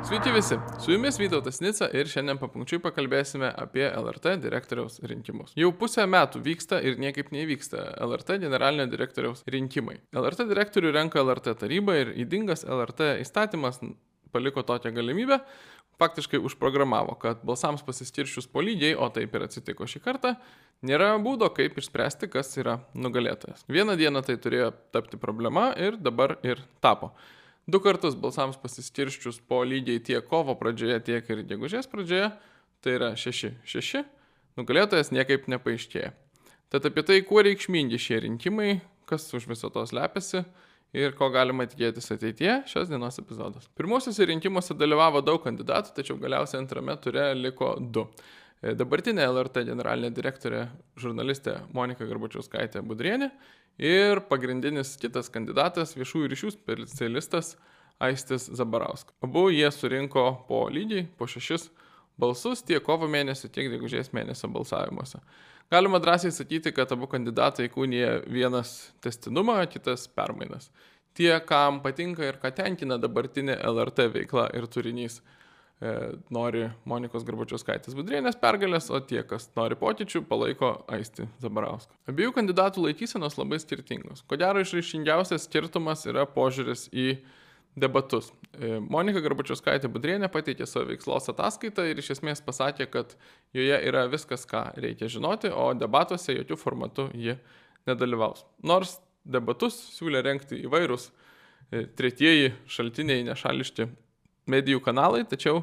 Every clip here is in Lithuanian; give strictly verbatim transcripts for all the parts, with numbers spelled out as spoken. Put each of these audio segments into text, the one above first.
Sveiki visi, su jumis Vytautas Nica ir šiandien papunkčiui pakalbėsime apie L R T direktoriaus rinkimus. Jau pusę metų vyksta ir niekaip nevyksta L R T generalinio direktoriaus rinkimai. L R T direktorių renka L R T taryba ir ydingas L R T įstatymas paliko tokią galimybę, faktiškai užprogramavo, kad balsams pasiskirščius po lygiai, o taip ir atsitiko šį kartą, nėra būdo, kaip išspręsti, kas yra nugalėtojas. Vieną dieną tai turėjo tapti problema ir dabar ir tapo. Du kartus balsams pasiskirščius po lygiai tiek kovo pradžioje, tiek ir gegužės pradžioje, tai yra šeši šeši, nugalėtojas niekaip nepaaiškėja. Tad apie tai, kuo reikšmingi šie rinkimai, kas už viso to slepiasi ir ko galima tikėtis ateityje, šios dienos epizodas. Pirmosiuose rinkimuose dalyvavo daug kandidatų, tačiau galiausiai antrame ture liko du. Dabartinė L R T generalinė direktorė žurnalistė Monika Garbačiauskaitė-Budrienė ir pagrindinis kitas kandidatas viešųjų ryšių specialistas Aistis Zabarauskas. Abu jie surinko po lygiai, po šešis balsus tiek kovo mėnesio, tiek gegužės mėnesio balsavimuose. Galima drąsiai sakyti, kad abu kandidatai įkūnija vienas tęstinumą, kitas permainas. Tie, kam patinka ir ką tenkina dabartinė L R T veikla ir turinys, nori Monikos Garbačiauskaitės-Budrienės pergalės, o tie, kas nori pokyčių, palaiko Aistį Zabarauską. Abiejų kandidatų laikysenos labai skirtingos. Ko gero išraiškingiausias skirtumas yra požiūris į debatus. Monika Garbačiauskaitė-Budrienė pateikė savo veiklos ataskaitą ir iš esmės pasakė, kad joje yra viskas, ką reikia žinoti, o debatuose jokių formatų ji nedalyvaus. Nors debatus siūlė rengti įvairūs tretieji šaltiniai nešališki medijų kanalai, tačiau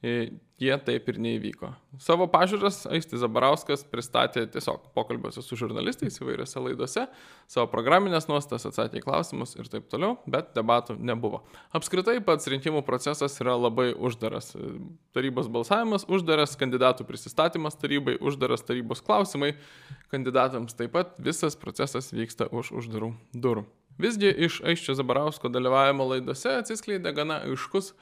jie taip ir neįvyko. Savo pažiūras Aistis Zabarauskas pristatė tiesiog pokalbiuose su žurnalistais įvairiose laidose, savo programinės nuostatas, atsakė į klausimus ir taip toliau, bet debatų nebuvo. Apskritai pats rinkimų procesas yra labai uždaras. Tarybos balsavimas uždaras, kandidatų prisistatymas tarybai, uždaras tarybos klausimai kandidatams, taip pat visas procesas vyksta už uždarų durų. Visgi iš Aisčio Zabarausko dalyvavimo laidose atsiskleidė gana aiškus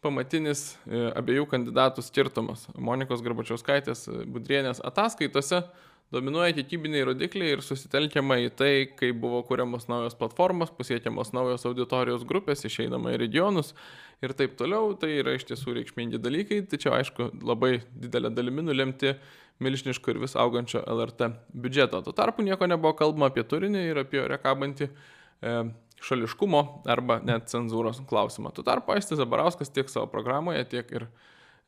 pamatinis abiejų kandidatų skirtumas. Monikos Garbačiauskaitės-Budrienės ataskaitose dominuoja kiekybiniai rodikliai ir susitelkiama į tai, kaip buvo kuriamos naujos platformos, pasiekiamos naujos auditorijos grupės, išeinama į regionus ir taip toliau. Tai yra iš tiesų reikšmingi dalykai, tačiau aišku labai didelė dalimi nulemti milžiniško ir vis augančio L R T biudžeto. Tuo tarpu nieko nebuvo kalbama apie turinį ir apie ore kabantį e, šališkumo arba net cenzūros klausimą. Tuo tarpu Aistis Zabarauskas tiek savo programoje, tiek ir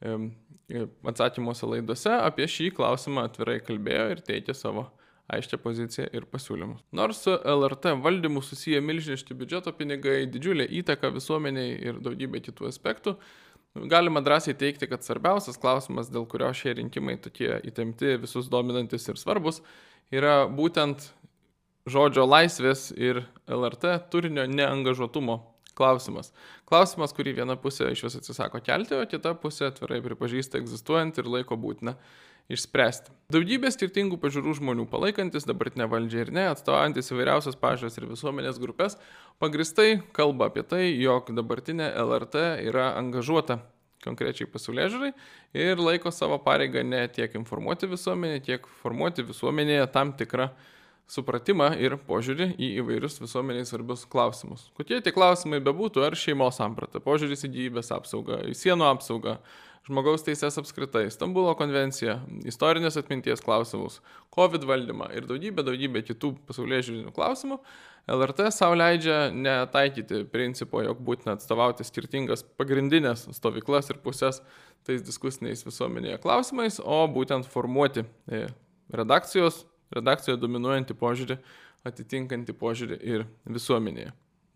e, atsakymuose laidose apie šį klausimą atvirai kalbėjo ir teikė savo aiškią poziciją ir pasiūlymus. Nors su L R T valdymu susiję milžiniški biudžeto pinigai, didžiulė įtaka visuomeniai ir daugybė kitų aspektų, galima drąsiai teigti, kad svarbiausias klausimas, dėl kurio šie rinkimai tokie įtempti, visus dominantis ir svarbus, yra būtent žodžio laisvės ir L R T turinio neangažuotumo klausimas. Klausimas, kurį viena pusė iš vis atsisako kelti, o kita pusė atvirai pripažįsta egzistuojant ir laiko būtina išspręsti. Daugybė skirtingų pažiūrų žmonių palaikantis dabartinę valdžią ir ne, atstovaujantis įvairiausias pažiūras ir visuomenės grupės, pagristai kalba apie tai, jog dabartinė L R T yra angažuota konkrečiai pasaulėžiūrai ir laiko savo pareigą ne tiek informuoti visuomenę, tiek formuoti visuomenėje tam tikrą supratimą ir požiūrį į įvairius visuomeniai svarbius klausimus. Kokie tie klausimai bebūtų, ar šeimos samprata, požiūris į gyvybės apsaugą, į sienų apsaugą, žmogaus teisės apskritai, Stambulo konvencija, istorinės atminties klausimus, COVID valdymą ir daugybė, daugybė kitų pasaulėžiūrinių klausimų, L R T savo leidžia netaikyti principo, jog būtina atstovauti skirtingas pagrindinės stovyklas ir pusės tais diskusiniais visuomenėje klausimais, o būtent formuoti redakcijos redakcijoje dominuojantį požiūrį, atitinkantį požiūrį ir visuomenėje.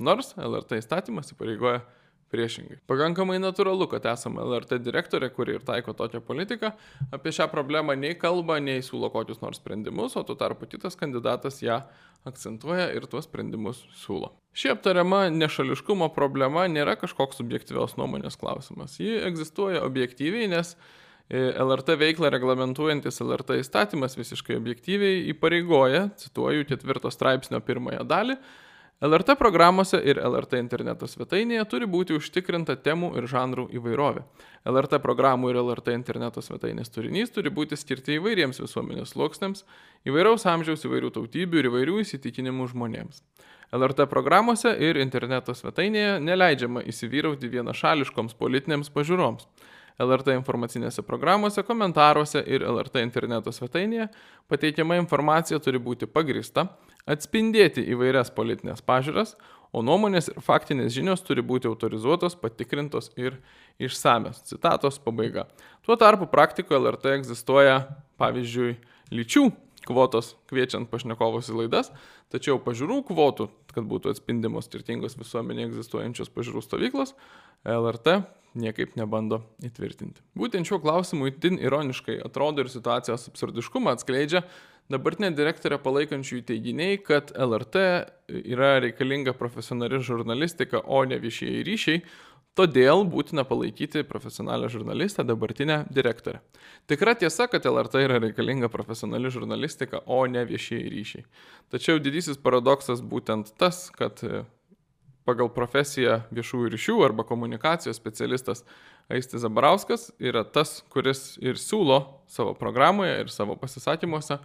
Nors L R T įstatymas įpareigoja priešingai. Pakankamai natūralu, kad esame L R T direktorė, kuri ir taiko tokią politiką, apie šią problemą nei kalba, nei siūlo kokius nors sprendimus, o tuo tarpu kitas kandidatas ją akcentuoja ir tuos sprendimus siūlo. Ši aptariama nešališkumo problema nėra kažkoks subjektyvios nuomonės klausimas. Ji egzistuoja objektyviai, nes L R T veiklą reglamentuojantis L R T įstatymas visiškai objektyviai įpareigoja, cituoju ketvirto straipsnio pirmąją dalį, L R T programuose ir L R T interneto svetainėje turi būti užtikrinta temų ir žanrų įvairovė. L R T programų ir L R T interneto svetainės turinys turi būti skirti įvairiems visuomenės sluoksniams, įvairaus amžiaus, įvairių tautybių ir įvairių įsitikinimų žmonėms. L R T programuose ir interneto svetainėje neleidžiama įsivyrauti vienašališkoms politinėms pažiūroms. L R T informacinėse programuose, komentaruose ir L R T interneto svetainėje pateikiama informacija turi būti pagrįsta, atspindėti įvairias politinės pažiūras, o nuomonės ir faktinės žinios turi būti autorizuotos, patikrintos ir išsamios. Citatos pabaiga. Tuo tarpu praktikoje L R T egzistuoja, pavyzdžiui, lyčių kvotos kviečiant pašnekovus į laidas, tačiau pažiūrų kvotų, kad būtų atspindimos skirtingos visuomenėje egzistuojančios pažiūrų stovyklos, L R T niekaip nebando įtvirtinti. Būtent šiuo klausimu itin ironiškai atrodo ir situacijos absurdiškumą atskleidžia dabartinė direktorė palaikančiųjų teiginiai, kad L R T yra reikalinga profesionali žurnalistika, o ne viešieji ryšiai, todėl būtina palaikyti profesionalią žurnalistę, dabartinę direktorę. Tikra tiesa, kad L R T yra reikalinga profesionali žurnalistika, o ne viešieji ryšiai. Tačiau didysis paradoksas būtent tas, kad pagal profesiją viešųjų ryšių arba komunikacijos specialistas Aistis Zabarauskas yra tas, kuris ir siūlo savo programoje ir savo pasisakymuose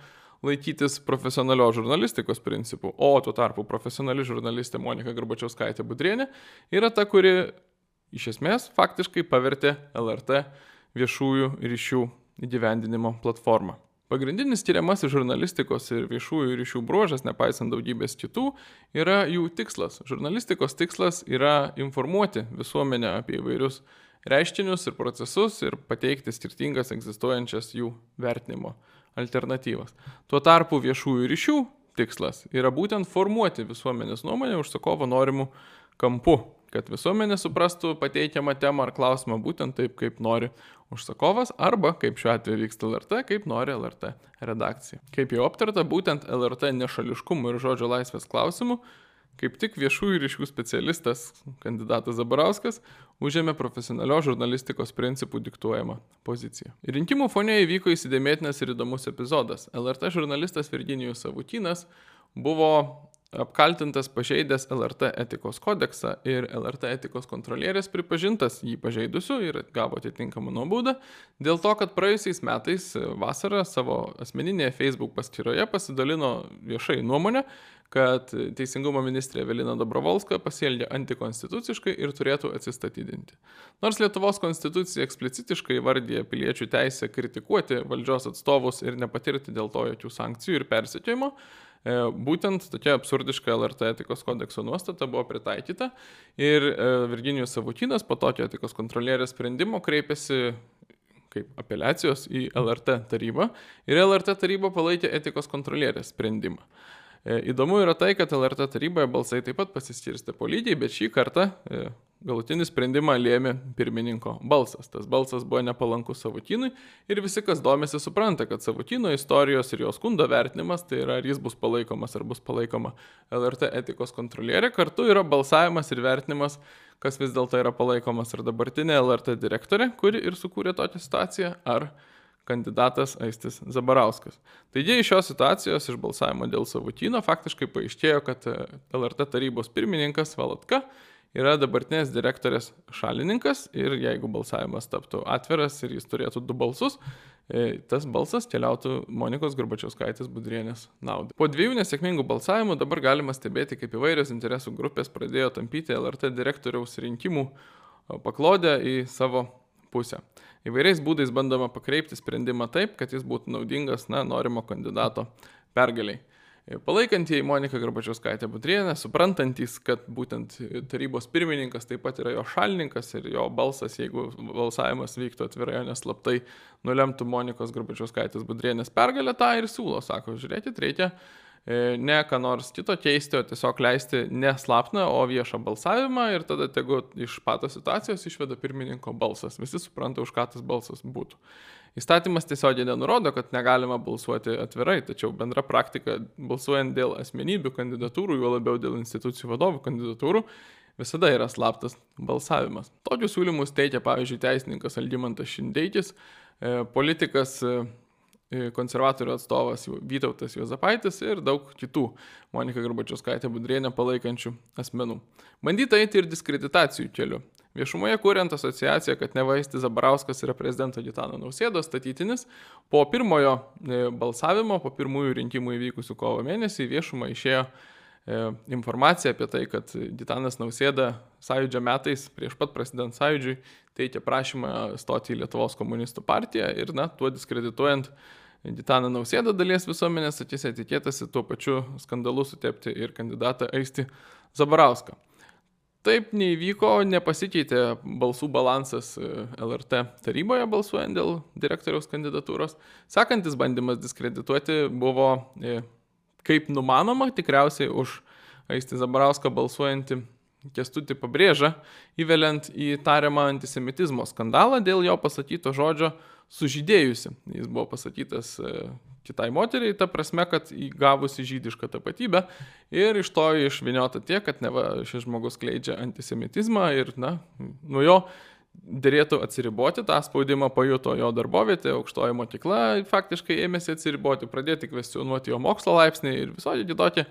laikytis profesionalios žurnalistikos principų, o tuo tarpu profesionali žurnalistė Monika Garbačiauskaitė Budrienė yra ta, kuri iš esmės faktiškai pavertė L R T viešųjų ryšių įgyvendinimo platformą. Pagrindinis tyriamasis žurnalistikos ir viešųjų ryšių bruožas, nepaisant daugybės kitų, yra jų tikslas. Žurnalistikos tikslas yra informuoti visuomenę apie įvairius reiškinius ir procesus ir pateikti skirtingas egzistuojančias jų vertinimo alternatyvas. Tuo tarpu viešųjų ryšių tikslas yra būtent formuoti visuomenės nuomonę užsakovo norimų kampu, kad visuomenė suprastų pateikiamą temą ar klausimą būtent taip, kaip nori užsakovas, arba, kaip šiuo atveju vyksta L R T, kaip nori L R T redakcija. Kaip jau aptarta, būtent L R T nešališkumo ir žodžio laisvės klausimų, kaip tik viešųjų ryšių specialistas, kandidatas Zabarauskas, užėmė profesionalios žurnalistikos principų diktuojamą poziciją. Rinkimų fone įvyko įsidėmėtinas ir įdomus epizodas. L R T žurnalistas Virginijus Savukynas buvo apkaltintas pažeidęs L R T etikos kodeksą ir L R T etikos kontrolierės pripažintas jį pažeidusiu ir gavo atitinkamą nuobaudą dėl to, kad praėjusiais metais vasarą savo asmeninėje Facebook paskyroje pasidalino viešai nuomonę, kad Teisingumo ministrė Evelina Dobrovolska pasielgė antikonstituciškai ir turėtų atsistatydinti. Nors Lietuvos konstitucija eksplicitiškai įvardyja piliečių teisę kritikuoti valdžios atstovus ir nepatirti dėl to jokių sankcijų ir persekiojimo, būtent tokia absurdiška L R T etikos kodekso nuostata buvo pritaikyta ir Virginijus Savukynas po tokio etikos kontrolierės sprendimo kreipėsi kaip apeliacijos į L R T tarybą ir L R T taryba palaikė etikos kontrolierės sprendimą. Įdomu yra tai, kad L R T taryboje balsai taip pat pasiskirstė po lygiai, bet šį kartą galutinį sprendimą lėmė pirmininko balsas. Tas balsas buvo nepalankus Savukynui ir visi, kas domisi, supranta, kad Savukyno istorijos ir jo skundo vertinimas, tai yra ar jis bus palaikomas ar bus palaikoma L R T etikos kontrolierė, kartu yra balsavimas ir vertinimas, kas vis dėlto yra palaikomas ar dabartinė L R T direktorė, kuri ir sukūrė tokią situaciją, ar kandidatas Aistis Zabarauskas. Taigi iš šios situacijos, iš balsavimo dėl Savukyno, faktiškai paaiškėjo, kad L R T tarybos pirmininkas Valatka yra dabartinės direktorės šalininkas ir jeigu balsavimas taptų atviras ir jis turėtų du balsus, tas balsas keliautų Monikos Garbačiauskaitės Budrienės naudai. Po dviejų nesėkmingų balsavimų dabar galima stebėti, kaip įvairios interesų grupės pradėjo tampyti L R T direktoriaus rinkimų paklodę į savo pusę. Įvairiais būdais bandoma pakreipti sprendimą taip, kad jis būtų naudingas, na, norimo kandidato pergaliai. Palaikantieji Monika Garbačiauskaitė Budrienė, suprantantys, kad būtent tarybos pirmininkas taip pat yra jo šalininkas ir jo balsas, jeigu balsavimas vyktų atvirai, o neslaptai, nulemtų Monikos Garbačiauskaitės Budrienės pergalę, tą ir siūlo. Sako, žiūrėkit, reikia ne ką nors kito keisti, o tiesiog leisti ne slaptą, o viešą balsavimą ir tada tegu iš patos situacijos išveda pirmininko balsas. Visi supranta, už ką tas balsas būtų. Įstatymas tiesiogiai nenurodo, kad negalima balsuoti atvirai, tačiau bendra praktika balsuojant dėl asmenybių kandidatūrų, juo labiau dėl institucijų vadovų kandidatūrų, visada yra slaptas balsavimas. Tokius siūlymus teikia, pavyzdžiui, teisininkas Algimantas Šindeikis, politikas konservatorių atstovas Vytautas Juozapaitis ir daug kitų Monika Garbačiauskaitė Budrienė palaikančių asmenų. Bandyta eiti ir diskreditacijų keliu. Viešumoje kuriant asociaciją, kad neva Aistis Zabarauskas yra prezidento Gitano Nausėdos statytinis, po pirmojo balsavimo, po pirmųjų rinkimų įvykusių kovo mėnesį viešumą išėjo informacija apie tai, kad Gitanas Nausėda Sąjūdžio metais, prieš pat prasidedant Sąjūdžiui, teikė prašymą stoti į Lietuvos komunistų partiją ir, na, tuo diskredituojant Gitaną Nausėdą dalies visuomenės akise tikėtasi tuo pačiu skandalu sutepti ir kandidatą Aistį Zabarauską. Taip neįvyko, nepasikeitė balsų balansas L R T taryboje balsuojant dėl direktoriaus kandidatūros. Sekantis bandymas diskredituoti buvo, kaip numanoma, tikriausiai už Aistį Zabarauską balsuojantį Kęstutį Pabrėžą, įveliant į tariamą antisemitizmo skandalą dėl jo pasakyto žodžio sužydėjusi. Jis buvo pasakytas kitai moteriai, ta prasme, kad įgavusi žydišką tapatybę ir iš to išvyniota tiek, kad neva šis žmogus skleidžia antisemitizmą ir, na, nuo jo dėrėtų atsiriboti, tą spaudimą pajuto jo darbovietė, aukštoji mokykla faktiškai ėmėsi atsiriboti, pradėti kvestionuoti jo mokslo laipsnį ir visokie kitokie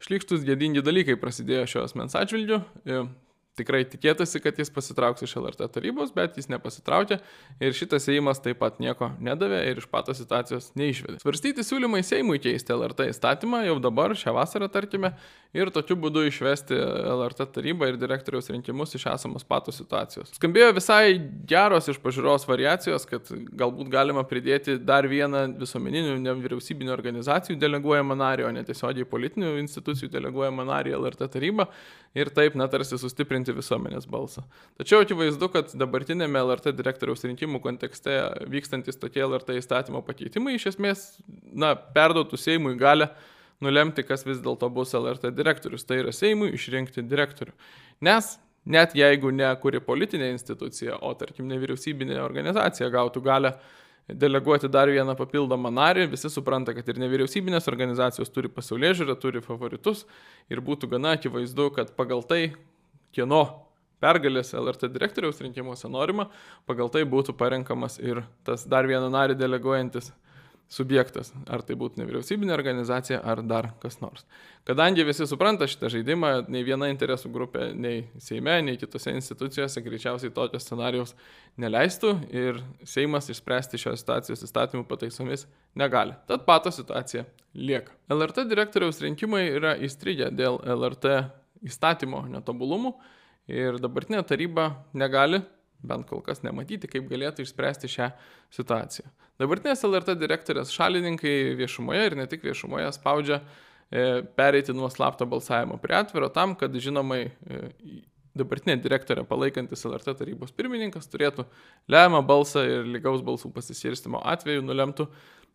šlykštus gėdingi dalykai prasidėjo šio asmens atžvilgiu. Tikrai tikėtasi, kad jis pasitrauks iš L R T tarybos, bet jis nepasitraukė ir šitas Seimas taip pat nieko nedavė ir iš patos situacijos neišvedė. Svarstyti siūlymai Seimui keisti L R T įstatymą jau dabar, šią vasarą tarkime, ir tokiu būdu išvesti L R T tarybą ir direktoriaus rinkimus iš esamos patos situacijos. Skambėjo visai geros iš pažiūros variacijos, kad galbūt galima pridėti dar vieną visuomeninių nevyriausybinių organizacijų deleguojamą narį, o ne tiesiogiai politinių institucijų deleguojamą narį L R T tarybą ir taip, na, tarsi sustiprinti visuomenės balsą. Tačiau akivaizdu, kad dabartinėme L R T direktoriaus rinkimų kontekste vykstantis tokie L R T įstatymo pakeitimai iš esmės, na, perduotų Seimui galę nulemti, kas vis dėlto bus L R T direktorius. Tai yra Seimui išrinkti direktorių. Nes net jeigu ne kuri politinė institucija, o tarkim nevyriausybinė organizacija gautų galę deleguoti dar vieną papildomą narį, visi supranta, kad ir nevyriausybinės organizacijos turi pasaulėžiūrą, turi favoritus ir būtų gana akivaizdu, kad pagal tai, kieno pergalės L R T direktoriaus rinkimuose norima, pagal tai būtų parenkamas ir tas dar vieną narį deleguojantis subjektas, ar tai būtų nevyriausybinė organizacija, ar dar kas nors. Kadangi visi supranta šitą žaidimą, nei viena interesų grupė, nei Seime, nei kitose institucijose greičiausiai tokio scenarijaus neleistų ir Seimas išspręsti šios situacijos įstatymų pataisomis negali. Tad pato situacija lieka. L R T direktoriaus rinkimai yra įstrigę dėl L R T įstatymo netobulumų ir dabartinė taryba negali bent kol kas nematyti, kaip galėtų išspręsti šią situaciją. Dabartinės L R T direktorės šalininkai viešumoje ir ne tik viešumoje spaudžia e, pereiti nuo slapto balsavimo prie atviro tam, kad žinomai e, dabartinė direktorė palaikantis L R T tarybos pirmininkas turėtų lemiamą balsą ir lygaus balsų pasiskirstymo atveju nulemtų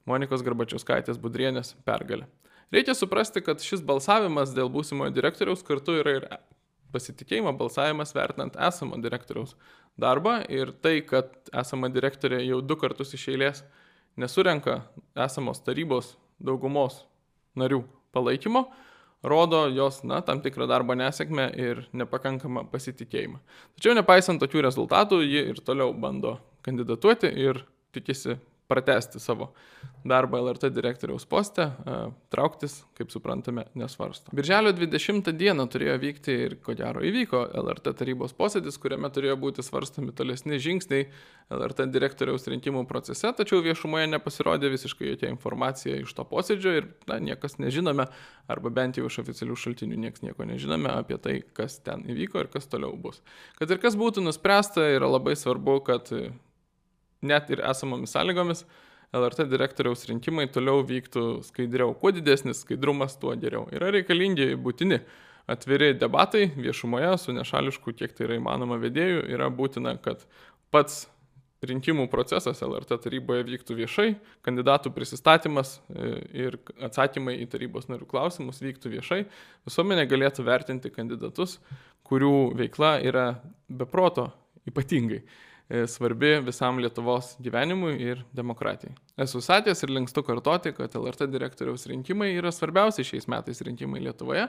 Monikos Garbačiauskaitės Budrienės pergalę. Reikia suprasti, kad šis balsavimas dėl būsimojo direktoriaus kartu yra ir pasitikėjimo balsavimas vertinant esamo direktoriaus darbą ir tai, kad esama direktorė jau du kartus iš eilės nesurenka esamos tarybos daugumos narių palaikymo, rodo jos, na, tam tikrą darbo nesėkmę ir nepakankamą pasitikėjimą. Tačiau nepaisant tokių rezultatų, ji ir toliau bando kandidatuoti ir tikisi pratęsti savo darbą L R T direktoriaus poste, trauktis, kaip suprantame, nesvarsto. Birželio dvidešimtą dieną turėjo vykti ir ko gero įvyko L R T tarybos posėdis, kuriame turėjo būti svarstomi tolesni žingsniai L R T direktoriaus rinkimų procese, tačiau viešumoje nepasirodė visiškai jokia informacija iš to posėdžio ir, na, niekas nežinome, arba bent jau iš oficialių šaltinių niekas nieko nežinome apie tai, kas ten įvyko ir kas toliau bus. Kad ir kas būtų nuspręsta, yra labai svarbu, kad net ir esamomis sąlygomis L R T direktoriaus rinkimai toliau vyktų skaidriau. Kuo didesnis skaidrumas, tuo geriau. Yra reikalingi būtini atviri debatai viešumoje su nešališku, kiek tai yra įmanoma vedėjų. Yra būtina, kad pats rinkimų procesas L R T taryboje vyktų viešai, kandidatų prisistatymas ir atsakymai į tarybos narių klausimus vyktų viešai. Visuomenė galėtų vertinti kandidatus, kurių veikla yra beproto ypatingai svarbi visam Lietuvos gyvenimui ir demokratijai. Esu sakęs ir linkstu kartoti, kad L R T direktoriaus rinkimai yra svarbiausi šiais metais rinkimai Lietuvoje,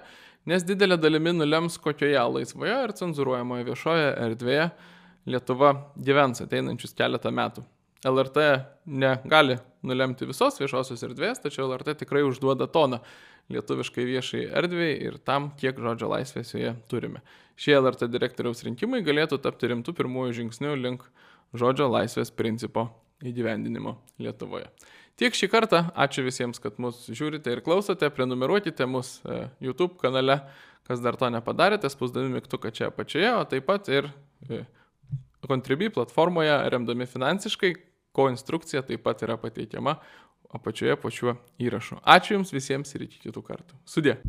nes didelė dalimi nulems, kokioje laisvoje ir cenzūruojamoje viešoje erdvėje Lietuva gyvens ateinančius keletą metų. L R T negali nulemti visos viešosios erdvės, tačiau L R T tikrai užduoda toną lietuviškai viešai erdvėj ir tam, kiek žodžio laisvės joje turime. Šie L R T direktoriaus rinkimai galėtų tapti rimtų pirmųjų žingsnių link žodžio laisvės principo įgyvendinimo Lietuvoje. Tiek šį kartą, ačiū visiems, kad mus žiūrite ir klausote, prenumeruokite mus YouTube kanale, kas dar to nepadarėte, spausdami mygtuką čia apačioje, o taip pat ir Contribui platformoje remdami finansiškai, ko instrukcija taip pat yra pateikiama apačioje po šiuo įrašu. Ačiū Jums visiems ir iki kitų kartų. Sudie.